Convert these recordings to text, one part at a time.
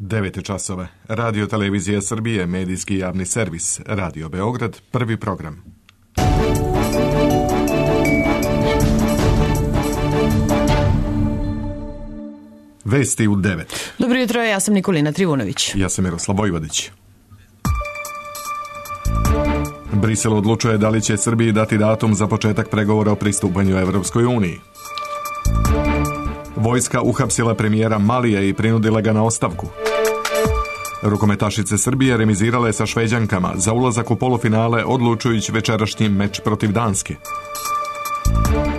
9 časova. Radio Televizija Srbije, medijski javni servis. Radio Beograd, prvi program. Vesti u 9. Dobro jutro, ja sam Nikolina Trivunović. Ja sam Miroslav Vojvodić. Brisel odlučuje da li će Srbiji dati datum za početak pregovora o pristupanju Evropskoj uniji. Vojska uhapsila premijera Malija i prinudila ga na ostavku. Rukometašice Srbije remizirale sa Šveđankama za ulazak u polufinale odlučujući večerašnji meč protiv Danske.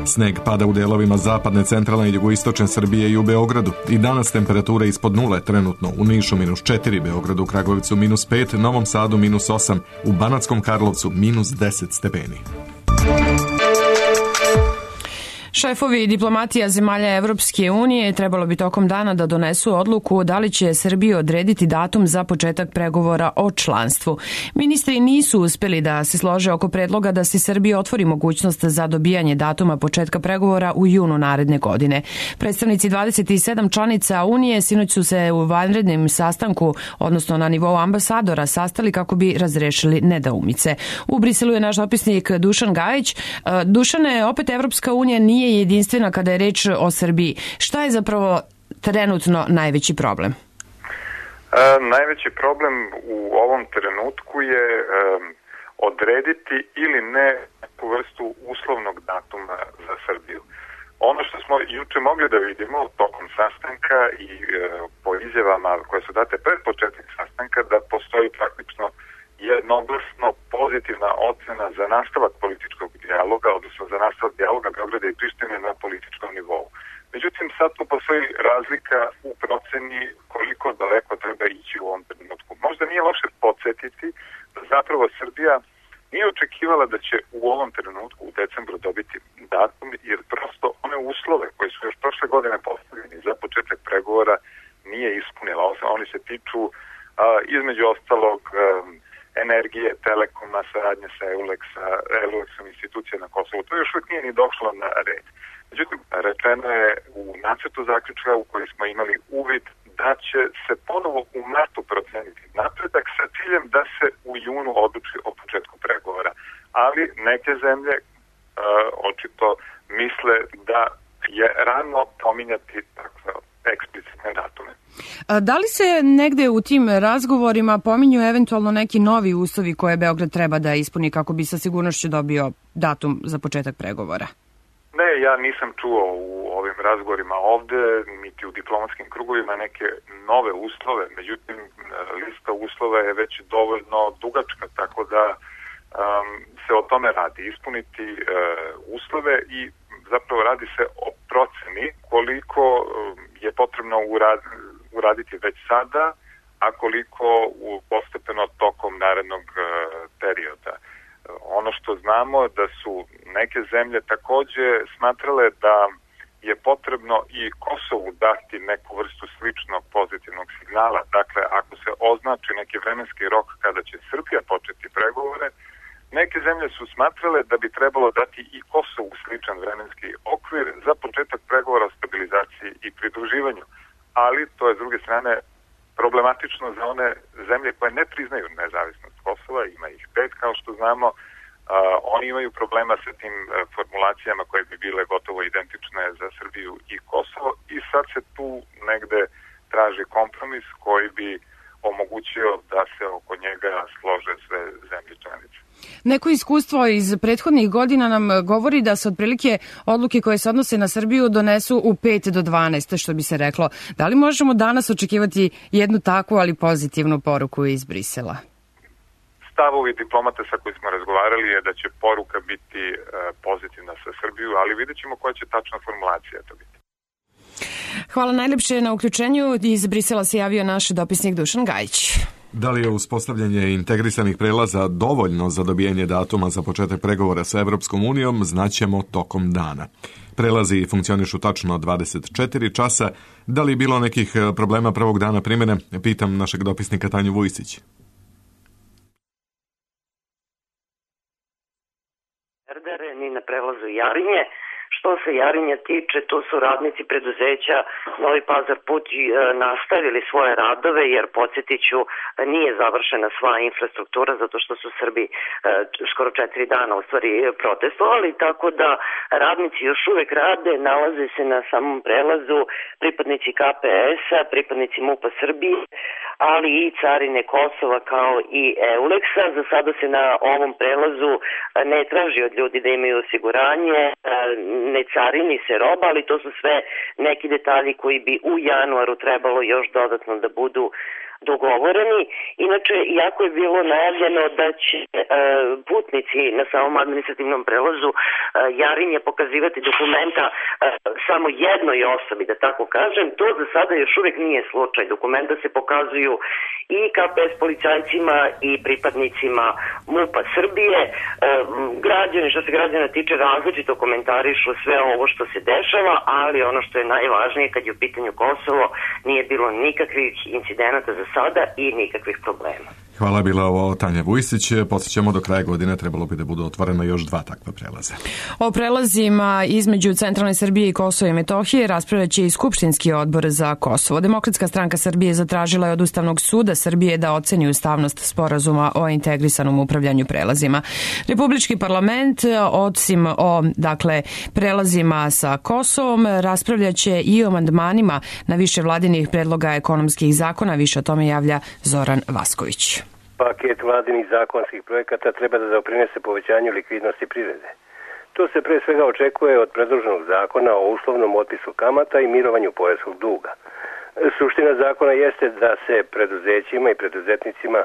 Sneg pada u delovima zapadne, centralne i jugoistočne Srbije i u Beogradu. I danas temperature ispod nule, trenutno u Nišu -4, Beogradu, Kragujevcu -5, Novom Sadu -8, u Banatskom Karlovcu -10 stepeni. Šefovi diplomatija zemalja Evropske unije trebalo bi tokom dana da donesu odluku da li će Srbiji odrediti datum za početak pregovora o članstvu. Ministri nisu uspeli da se slože oko predloga da se Srbiji otvori mogućnost za dobijanje datuma početka pregovora u junu naredne godine. Predstavnici 27 članica Unije sinoć su se u vanrednom sastanku, odnosno na nivou ambasadora, sastali kako bi razrešili nedoumice. U Briselu je naš dopisnik Dušan Gajić. Dušane, opet Evropska unija nije jedinstvena kada je reč o Srbiji. Šta je zapravo trenutno najveći problem? Najveći problem u ovom trenutku je odrediti ili ne neku vrstu uslovnog datuma za Srbiju. Ono što smo juče mogli da vidimo tokom sastanka i po izjavama koje su date pred početak sastanka, da postoji praktično jednoglasno pozitivna ocena za nastavak političkog dijaloga, odnosno za nastavak dijaloga Beograda i Prištine na političkom nivou. Međutim, sad tu postoji razlika u proceni koliko daleko treba ići u ovom trenutku. Možda nije loše podsjetiti da zapravo Srbija nije očekivala da će u ovom trenutku u decembru dobiti datum, jer prosto one uslove koje su još prošle godine postavljeni za početak pregovora nije ispunila. Oni se tiču između ostalog energije, telekoma, saradnje sa EULEX-om institucija na Kosovu. To još uvijek nije ni došlo na red. Međutim, rečeno je u nacrtu zaključka u kojoj smo imali uvid da će se ponovo u martu proceniti napredak sa ciljem da se u junu odluči o početku pregovora. Ali neke zemlje očito misle da je rano pominjati takve eksplicitne datume. Da li se negde u tim razgovorima pominju eventualno neki novi uslovi koje Beograd treba da ispuni kako bi sa sigurnošću dobio datum za početak pregovora? Ne, ja nisam čuo u ovim razgovorima ovde, niti u diplomatskim krugovima neke nove uslove, međutim lista uslova je već dovoljno dugačka, tako da se o tome radi. Ispuniti uslove i zapravo radi se o proceni koliko je potrebno uraditi već sada, a koliko postepeno tokom narednog perioda. Ono što znamo da su neke zemlje takođe smatrale da je potrebno i Kosovu dati neku vrstu sličnog pozitivnog signala. Dakle, ako se označi neki vremenski rok kada će Srbija početi pregovore, neke zemlje su smatrale da bi trebalo dati i Kosovu sličan vremenski okvir za početak pregovora o stabilizaciji i pridruživanju. Ali to je s druge strane problematično za one zemlje koje ne priznaju nezavisnost Kosova, ima ih 5 kao što znamo. Oni imaju problema sa tim formulacijama koje bi bile gotovo identične za Srbiju i Kosovo i sad se tu negde traži kompromis koji bi omogućio da se oko njega slože sve zemlje članice. Neko iskustvo iz prethodnih godina nam govori da se otprilike odluke koje se odnose na Srbiju donesu u 5 do 12, što bi se reklo. Da li možemo danas očekivati jednu takvu, ali pozitivnu poruku iz Brisela? Stavovi diplomata sa koji smo razgovarali je da će poruka biti pozitivna sa Srbiju, ali vidjet ćemo koja će tačna formulacija to biti. Hvala najlepše na uključenju. Iz Brisela se javio naš dopisnik Dušan Gajić. Da li je uspostavljanje integrisanih prelaza dovoljno za dobijanje datuma za početak pregovora sa Evropskom unijom, znaćemo tokom dana. Prelazi funkcionišu tačno 24 časa. Da li je bilo nekih problema prvog dana primjene? Pitam našeg dopisnika Tanju Vujsić. Ni na prelazu Jarinje, Što se Jarinja tiče, tu su radnici preduzeća Novi Pazar put nastavili svoje radove, jer podsjetiću, nije završena sva infrastruktura zato što su Srbi skoro 4 dana u stvari protestovali, tako da radnici još uvek rade, nalaze se na samom prelazu pripadnici KPS-a, pripadnici MUP-a Srbije, ali i Carine Kosova kao i Euleksa. Za sada se na ovom prelazu ne traži od ljudi da imaju osiguranje, ne carini se roba, ali to su sve neki detalji koji bi u januaru trebalo još dodatno da budu dogovoreni. Inače, jako je bilo najavljeno da će putnici na samom administrativnom prelazu Jarinje pokazivati dokumenta samo jednoj osobi, da tako kažem. To za sada još uvek nije slučaj. Dokumenta se pokazuju i KPS policajcima i pripadnicima MUP-a Srbije. Građani, što se građana tiče, različito komentarišu sve ovo što se dešava, ali ono što je najvažnije kad je u pitanju Kosovo, nije bilo nikakvih incidenata za sada i nikakvih problema. Hvala, bila ovo Tanja Vujsić. Podsjećamo, do kraja godine trebalo bi da budu otvorena još 2 takva prelaza. O prelazima između Centralne Srbije i Kosova i Metohije raspravljaće i Skupštinski odbor za Kosovo. Demokratska stranka Srbije zatražila je od Ustavnog suda Srbije da oceni ustavnost sporazuma o integrisanom upravljanju prelazima. Republički parlament, osim o prelazima sa Kosovom, raspravljaće i o amandmanima na više vladinih predloga ekonomskih zakona. Više o tome javlja Zoran Vasković. Paket vladinih zakonskih projekata treba da doprinese povećanju likvidnosti privrede. To se pre svega očekuje od predloženog zakona o uslovnom otpisu kamata i mirovanju poreskog duga. Suština zakona jeste da se preduzećima i preduzetnicima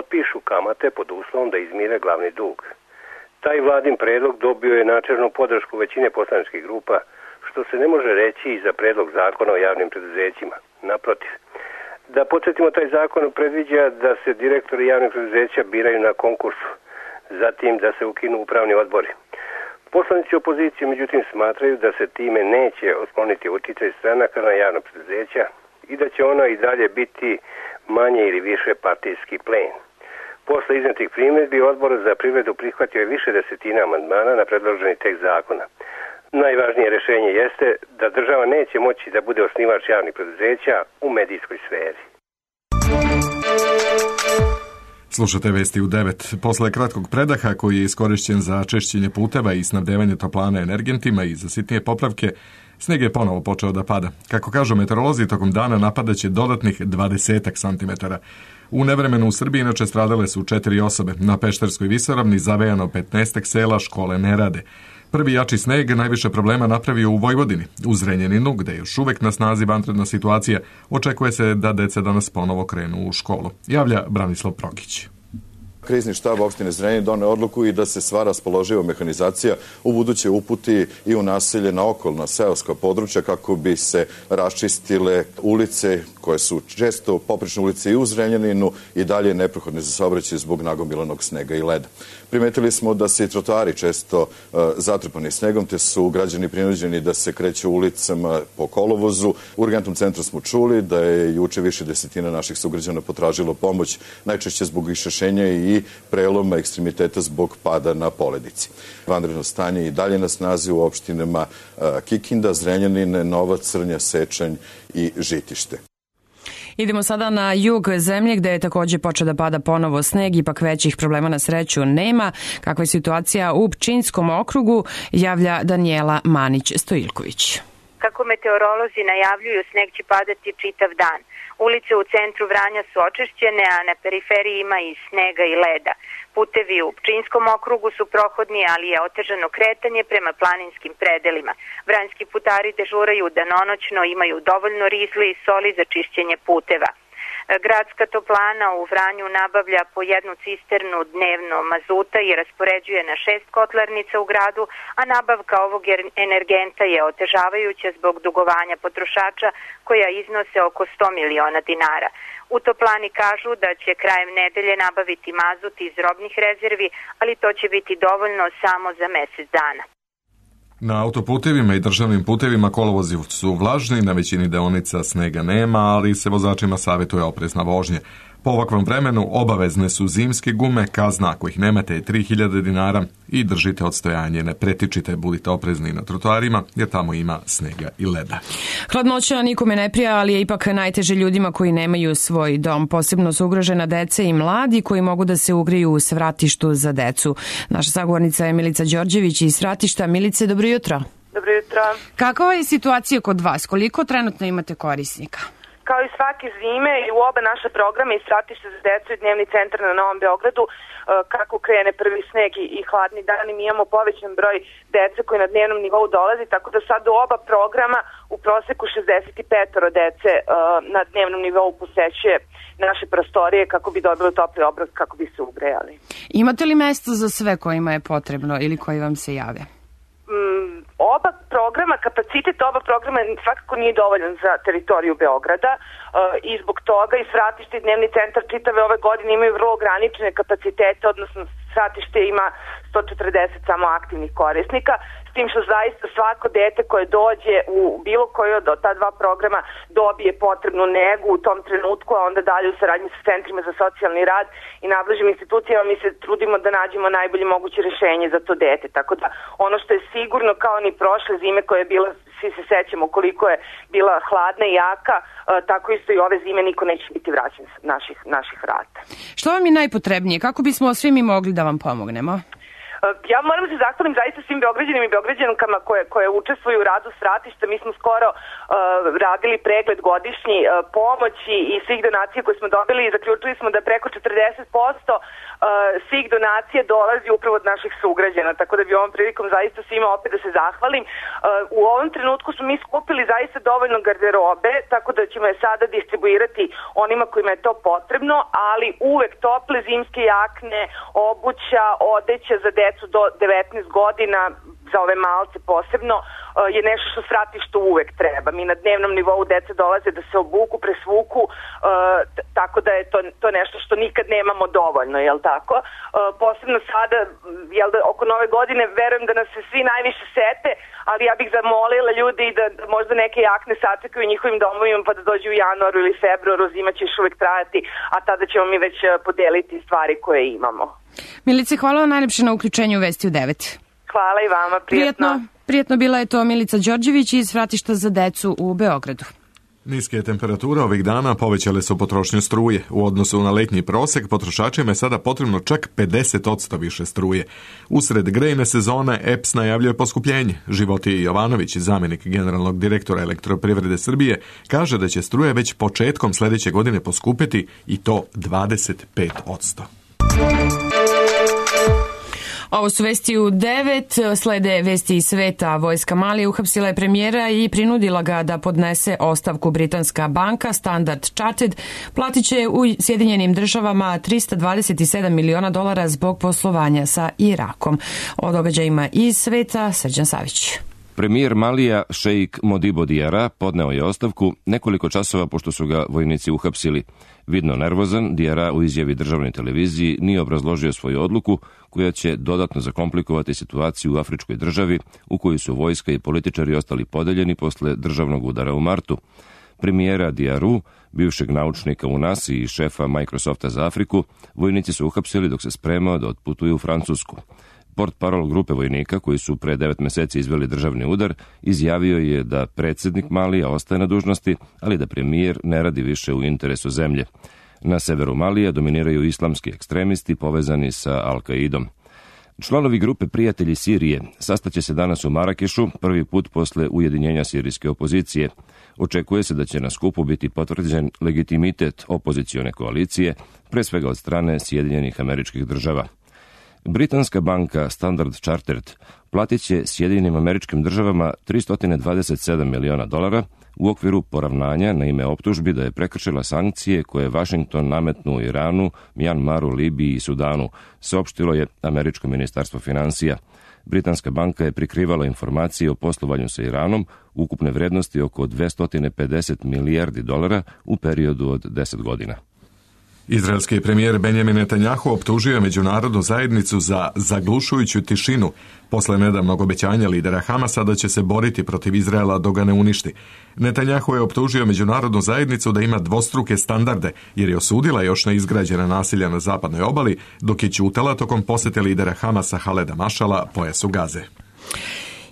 otpišu kamate pod uslovom da izmire glavni dug. Taj vladin predlog dobio je načelnu podršku većine poslaničkih grupa, što se ne može reći i za predlog zakona o javnim preduzećima. Naprotiv. Da podsjetimo, taj zakon predviđa da se direktori javnih preduzeća biraju na konkursu, zatim da se ukinu upravni odbori. Poslanici opozicije, međutim, smatraju da se time neće otkloniti uticaj stranaka na javna preduzeća i da će ona i dalje biti manje ili više partijski plen. Posle iznetih primjedbi, Odbor za privredu prihvatio je više desetina amandmana na predloženi tekst zakona. Najvažnije rešenje jeste da država neće moći da bude osnivač javnih preduzeća u medijskoj sferi. Slušate vesti u 9. Posle kratkog predaha koji je iskorišćen za čišćenje puteva i snabdevanje toplana energentima i za sitnije popravke, sneg je ponovo počeo da pada. Kako kažu meteorolozi, tokom dana napadaće dodatnih 20 cm. U nevremenu u Srbiji inače stradale su 4 osobe. Na Pešterskoj visoravni zavejano 15 sela, škole ne rade. Prvi jači sneg najviše problema napravio u Vojvodini. U Zrenjaninu, gde je još uvek na snazi vanredna situacija, očekuje se da deca danas ponovo krenu u školu. Javlja Branislav Progić. Krizni štab opštine Zrenjanin doneo odluku i da se sva raspoloživa mehanizacija u buduće uputi i u naselje na okolna seoska područja kako bi se raščistile ulice koje su često poprečne ulice i u Zrenjaninu i dalje neprohodne za saobraćaj zbog nagomilanog snega i leda. Primetili smo da se i trotoari često zatrpani snegom, te su građani prinuđeni da se kreću ulicama po kolovozu. U urgentnom centru smo čuli da je juče više desetina naših sugrađana potražilo pomoć, najčešće zbog iščašenja i preloma ekstremiteta zbog pada na poledici. Vanredno stanje i dalje na snazi u opštinama Kikinda, Zrenjanin, Novac, Crnja, Sečanj i Žitište. Idemo sada na jug zemlje gde je takođe počeo da pada ponovo sneg, ipak većih problema na sreću nema. Kakva je situacija u Pčinjskom okrugu, javlja Danijela Manić-Stojilković. Kako meteorolozi najavljuju, sneg će padati čitav dan. Ulice u centru Vranja su očišćene, a na periferiji ima i snega i leda. Putevi u Pčinjskom okrugu su prohodni, ali je otežano kretanje prema planinskim predelima. Vranjski putari dežuraju danonoćno, imaju dovoljno rizle i soli za čišćenje puteva. Gradska toplana u Vranju nabavlja po 1 cisternu dnevno mazuta i raspoređuje na 6 kotlarnica u gradu, a nabavka ovog energenta je otežavajuća zbog dugovanja potrošača koja iznose oko 100 miliona dinara. U toplani kažu da će krajem nedelje nabaviti mazut iz robnih rezervi, ali to će biti dovoljno samo za mesec dana. Na autoputevima i državnim putevima kolovozi su vlažni, na većini deonica snega nema, ali se vozačima savjetuje oprezna vožnja. Po ovakvom vremenu obavezne su zimske gume, kazna ako ih nemate je 3000 dinara i držite odstojanje, ne pretičite, budite oprezni na trotoarima jer tamo ima snega i leda. Hladnoća nikome ne prija, ali je ipak najteže ljudima koji nemaju svoj dom. Posebno su ugrožena deca i mladi koji mogu da se ugreju u svratištu za decu. Naša sagovornica je Milica Đorđević iz Svratišta. Milice, dobro jutro. Dobro jutro. Kakva je situacija kod vas? Koliko trenutno imate korisnika? Kao i svake zime i u oba naša programa i Svratište za decu i Dnevni centar na Novom Beogradu, kako krene prvi sneg i hladni dani, mi imamo povećan broj dece koji na dnevnom nivou dolazi, tako da sad u oba programa u proseku 65 dece na dnevnom nivou posećuje naše prostorije kako bi dobili topli obrok, kako bi se ugrejali. Imate li mesto za sve kojima je potrebno ili koji vam se jave? Oba programa, kapacitet oba programa svakako nije dovoljan za teritoriju Beograda i zbog toga i Svratište i Dnevni centar čitave ove godine imaju vrlo ograničene kapacitete, odnosno Svratište ima 140 samo aktivnih korisnika, s tim što zaista svako dete koje dođe u bilo koji od ta dva programa dobije potrebnu negu u tom trenutku, a onda dalje u saradnji sa centrima za socijalni rad i nadležnim institucijama mi se trudimo da nađemo najbolje moguće rješenje za to dete. Tako da ono što je sigurno kao ni prošle zime koja je bila, svi se sećamo koliko je bila hladna i jaka, tako isto i ove zime niko neće biti vraćen sa naših vrata. Što vam je najpotrebnije? Kako bismo svi mi mogli da vam pomognemo? Ja moram da se zahvalim zaista svim Beograđanima i Beograđankama koje učestvuju u radu Svratišta. Mi smo skoro radili pregled godišnji pomoći i svih donacija koje smo dobili i zaključili smo da preko 40% svih donacija dolazi upravo od naših sugrađana, tako da bi ovom prilikom zaista svima opet da se zahvalim. U ovom trenutku smo mi skupili zaista dovoljno garderobe, tako da ćemo je sada distribuirati onima kojima je to potrebno, ali uvek tople zimske jakne, obuća, odeća za decu do 19 godina, za ove malce posebno, je nešto što Svratištu uvek treba. Mi na dnevnom nivou deca dolaze da se obuku, presvuku, tako da je to nešto što nikad nemamo dovoljno, jel tako? Posebno sada, jel da, oko nove godine, verujem da nas se svi najviše sete, ali ja bih zamolila ljudi da možda neke jakne sačekaju u njihovim domovima pa da dođu u januaru ili februaru, zima će još uvek trajati, a tada ćemo mi već podeliti stvari koje imamo. Milice, hvala vam najlepše na uključenju u Vesti u 9. Hvala i vama, prijetno. Prijetno bila je to Milica Đorđević iz Svratišta za decu u Beogradu. Niske temperature ovih dana povećale su potrošnju struje. U odnosu na letnji prosek, potrošačima je sada potrebno čak 50% više struje. Usred grejne sezone EPS najavljuje poskupljenje. Životije Jovanović, zamjenik generalnog direktora Elektroprivrede Srbije, kaže da će struje već početkom sljedeće godine poskupiti i to 25%. Ovo su Vesti u 9, slede Vesti iz sveta. Vojska Malije uhapsila je premijera i prinudila ga da podnese ostavku. Britanska banka Standard Chartered platit će u Sjedinjenim državama $327 miliona zbog poslovanja sa Irakom. O događajima iz sveta Srđan Savić. Premijer Malija šejk Modibo Diara podneo je ostavku nekoliko časova pošto su ga vojnici uhapsili. Vidno nervozan, Diara u izjavi državnoj televiziji nije obrazložio svoju odluku koja će dodatno zakomplikovati situaciju u afričkoj državi u kojoj su vojska i političari ostali podeljeni posle državnog udara u martu. Premijera Diaru, bivšeg naučnika u NASA i šefa Microsofta za Afriku, vojnici su uhapsili dok se spremao da otputuju u Francusku. Portparol grupe vojnika koji su pre 9 meseci izveli državni udar izjavio je da predsjednik Malija ostaje na dužnosti, ali da premijer ne radi više u interesu zemlje. Na severu Malija dominiraju islamski ekstremisti povezani sa Al-Kaidom. Članovi grupe Prijatelji Sirije sastaće se danas u Marakešu, prvi put posle ujedinjenja sirijske opozicije. Očekuje se da će na skupu biti potvrđen legitimitet opozicione koalicije, pre svega od strane Sjedinjenih Američkih Država. Britanska banka Standard Chartered platit će Sjedinjenim Američkim Državama $327 miliona u okviru poravnanja na ime optužbi da je prekršila sankcije koje je Washington nametnuo Iranu, Mjanmaru, Libiji i Sudanu, saopštilo je Američko ministarstvo finansija. Britanska banka je prikrivala informacije o poslovanju sa Iranom ukupne vrednosti oko $250 milijardi u periodu od 10 godina. Izraelski premijer Benjamin Netanjahu optužio je međunarodnu zajednicu za zaglušujuću tišinu posle nedavnog obećanja lidera Hamasa da će se boriti protiv Izraela dok ga ne uništi. Netanjahu je optužio međunarodnu zajednicu da ima dvostruke standarde jer je osudila još neizgrađena nasilja na zapadnoj obali dok je ćutala tokom posete lidera Hamasa Haleda Mašala pojasu Gaze.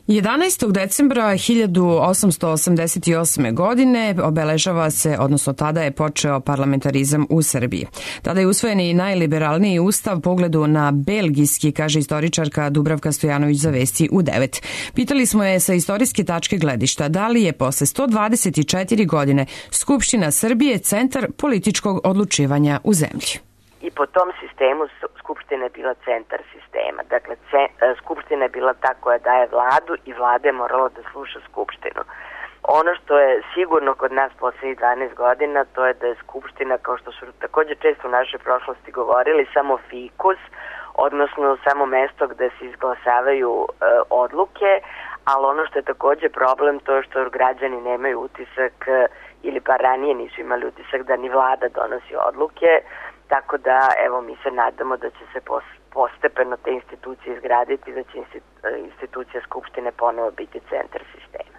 11. decembra 1888. godine obeležava se, odnosno tada je počeo parlamentarizam u Srbiji. Tada je usvojen i najliberalniji ustav po ugledu na belgijski, kaže istoričarka Dubravka Stojanović za Vesti u 9. Pitali smo je sa istorijske tačke gledišta da li je posle 124 godine Skupština Srbije centar političkog odlučivanja u zemlji. I po tom sistemu Skupština je bila centar sistema. Dakle, Skupština je bila ta koja daje vladu i vlada je morala da sluša Skupštinu. Ono što je sigurno kod nas poslednjih 12 godina, to je da je Skupština, kao što su takođe često u našoj prošlosti govorili, samo fikus, odnosno samo mesto gde se izglasavaju odluke, ali ono što je takođe problem to je što građani nemaju utisak, ili pa ranije nisu imali utisak da ni vlada donosi odluke. Tako da, evo, mi se nadamo da će se postepeno te institucije izgraditi, da će institucija Skupštine ponovo biti centar sistema.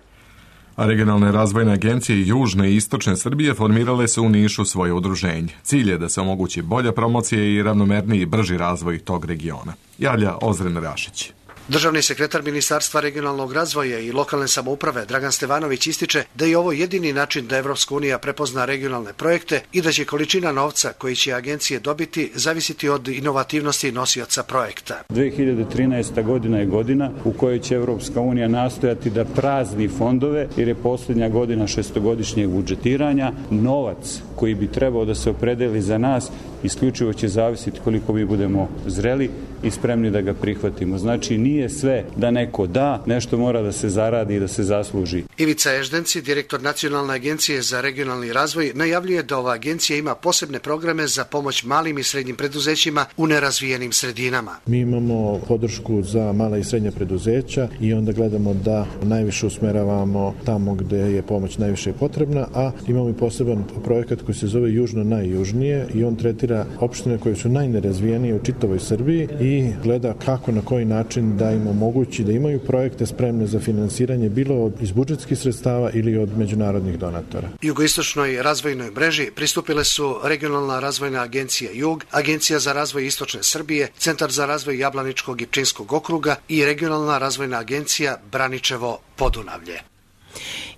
A regionalne razvojne agencije Južne i Istočne Srbije formirale su u Nišu svoje udruženje. Cilj je da se omogući bolja promocija i ravnomerniji i brži razvoj tog regiona. Javlja Ozren Rašić. Državni sekretar Ministarstva regionalnog razvoja i lokalne samouprave Dragan Stevanović ističe da je ovo jedini način da Evropska unija prepozna regionalne projekte i da će količina novca koji će agencije dobiti zavisiti od inovativnosti nosioca projekta. 2013. godina je godina u kojoj će Evropska unija nastojati da prazni fondove, jer je posljednja godina šestogodišnjeg budžetiranja. Novac koji bi trebao da se opredeli za nas isključivo će zavisiti koliko mi budemo zreli i spremni da ga prihvatimo. Znači, nije sve da neko da, nešto mora da se zaradi i da se zasluži. Ivica Eždenci, direktor Nacionalne agencije za regionalni razvoj, najavljuje da ova agencija ima posebne programe za pomoć malim i srednjim preduzećima u nerazvijenim sredinama. Mi imamo podršku za mala i srednja preduzeća i onda gledamo da najviše usmeravamo tamo gde je pomoć najviše potrebna, a imamo i poseban projekat koji se zove Južno najjužnije i on tretira opštine koje su najnerazvijenije u čitavoj Srbiji i gleda kako, na koji način da im omogući da imaju projekte spremne za finansiranje bilo iz budžetskih sredstava ili od međunarodnih donatora. Jugoistočnoj razvojnoj mreži pristupile su Regionalna razvojna agencija Jug, Agencija za razvoj Istočne Srbije, Centar za razvoj Jablaničkog i Pčinjskog okruga i Regionalna razvojna agencija Braničevo Podunavlje.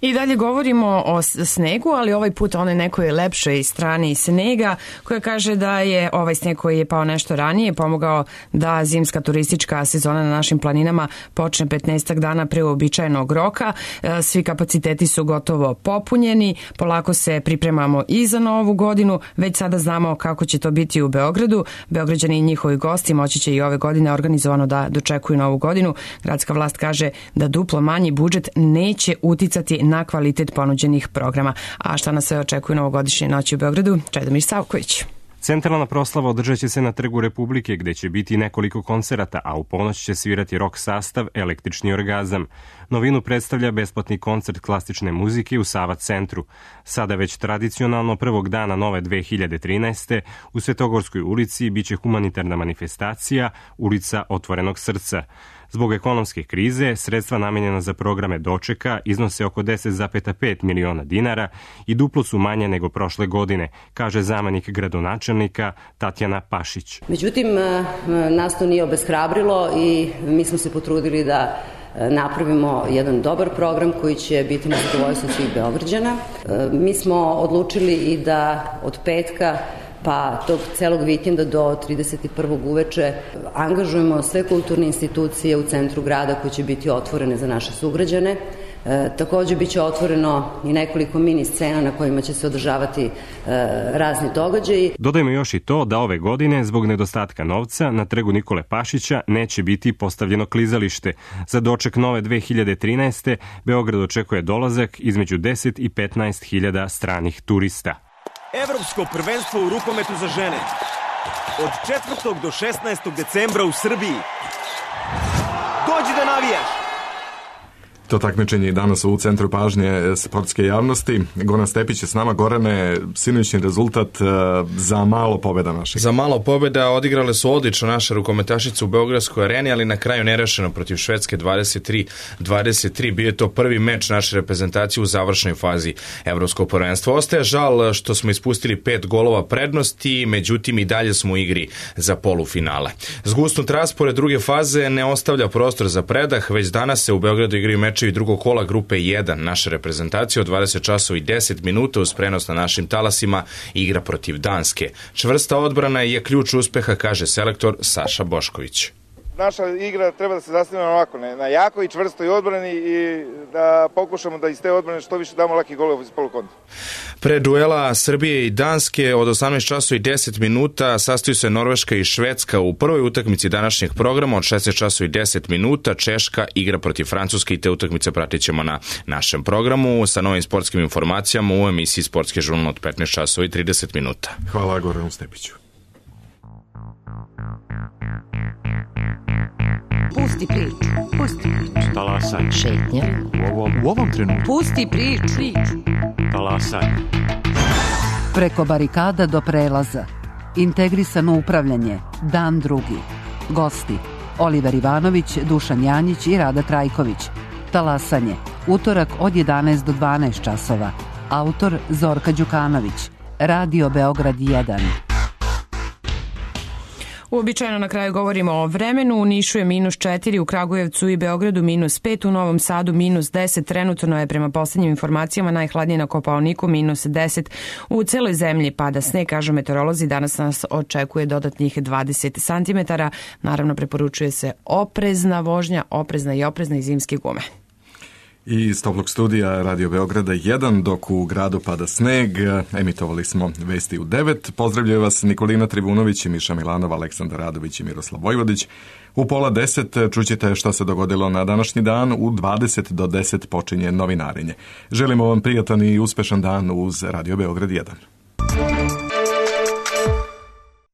I dalje govorimo o snegu, ali ovaj put onoj nekoj lepšoj strani snega, koja kaže da je ovaj sneg koji je pao nešto ranije pomogao da zimska turistička sezona na našim planinama počne 15 dana pre uobičajenog roka. Svi kapaciteti su gotovo popunjeni, polako se pripremamo i za novu godinu, već sada znamo kako će to biti u Beogradu. Beograđani i njihovi gosti moći će i ove godine organizovano da dočekuju novu godinu. Gradska vlast kaže da duplo manji budžet neće uticati na kvalitet ponuđenih programa. A šta nas sve očekuje novogodišnje noći u Beogradu? Čedomir Savković. Centralna proslava održat će se na Trgu Republike, gde će biti nekoliko koncerata, a u ponoć će svirati rock sastav Električni orgazam. Novinu predstavlja besplatni koncert klasične muzike u Sava centru. Sada već tradicionalno prvog dana nove 2013. u Svetogorskoj ulici biće humanitarna manifestacija Ulica otvorenog srca. Zbog ekonomske krize, sredstva namenjena za programe dočeka iznose oko 10,5 miliona dinara i duplo su manje nego prošle godine, kaže zamenik gradonačelnika Tatjana Pašić. Međutim, nas to nije obeshrabrilo i mi smo se potrudili da napravimo jedan dobar program koji će biti na zadovoljstvo svih Beograđana. Mi smo odlučili i da od petka pa tog celog vikenda do 31. uveče angažujemo sve kulturne institucije u centru grada koje će biti otvorene za naše sugrađane. Takođe biće otvoreno i nekoliko mini scena na kojima će se održavati razni događaji. Dodajmo još i to da ove godine, zbog nedostatka novca, na Trgu Nikole Pašića neće biti postavljeno klizalište. Za doček nove 2013. Beograd očekuje dolazak između 10 i 15 hiljada stranih turista. Evropsko prvenstvo u rukometu za žene od 4. do 16. decembra u Srbiji. Dođi da navijaš! To takmičenje je danas u centru pažnje sportske javnosti. Goran Stepić je s nama. Gorane, sinoćni rezultat za malo pobjeda naših. Za malo pobjeda odigrale su odlično naše rukometašice u Beogradskoj areni, ali na kraju nerešeno protiv Švedske 23-23. Bio je to prvi meč naše reprezentacije u završnoj fazi evropskog prvenstva. Ostaje žal što smo ispustili 5 golova prednosti, međutim i dalje smo u igri za polufinale. Zgusnut raspored druge faze ne ostavlja prostor za predah, već danas se u Beogradu igraju mečevi drugog kola grupe 1 naše reprezentacije od 20 časova i 10 minuta uz prenos na našim talasima igra protiv Danske. Čvrsta odbrana je ključ uspeha, kaže selektor Saša Bošković. Naša igra treba da se zasniva ovako, na jakoj i čvrstoj odbrani i da pokušamo da iz te odbrane što više damo laki golova iz polukontra. Pre duela Srbije i Danske od 18 časova i 10 minuta sastaju se Norveška i Švedska. U prvoj utakmici današnjeg programa od 16 časova i 10 minuta Češka igra protiv Francuske i te utakmice pratit ćemo na našem programu sa novim sportskim informacijama u emisiji Sportski žurnal od 15 časova i 30 minuta. Hvala Goranu Stepiću. Pusti priču. Pusti priču. Talasaj. Šetnja. U ovom trenutku. Pusti priču. Talasaj. Preko barikada do prelaza. Integrisano upravljanje. Dan drugi. Gosti. Oliver Ivanović, Dušan Janjić i Rada Trajković. Talasanje. Utorak od 11 do 12 časova. Autor Zorka Đukanović. Radio Beograd 1. Uobičajeno na kraju govorimo o vremenu. U Nišu je -4, u Kragujevcu i Beogradu -5, u Novom Sadu -10. Trenutno je prema poslednjim informacijama najhladnije na Kopaoniku -10. U celoj zemlji pada sneg, kažu meteorolozi. Danas nas očekuje dodatnih 20 cm. Naravno, preporučuje se oprezna vožnja, oprezna i zimske gume. I iz toplog studija Radio Beograda 1, dok u gradu pada sneg, emitovali smo vesti u 9. Pozdravljaju vas Nikolina Trivunović, Miša Milanova, Aleksandar Radović i Miroslav Vojvodić. U 9:30 čućete šta se dogodilo na današnji dan. U 20 do 10 počinje novinarenje. Želimo vam prijatan i uspešan dan uz Radio Beograd 1.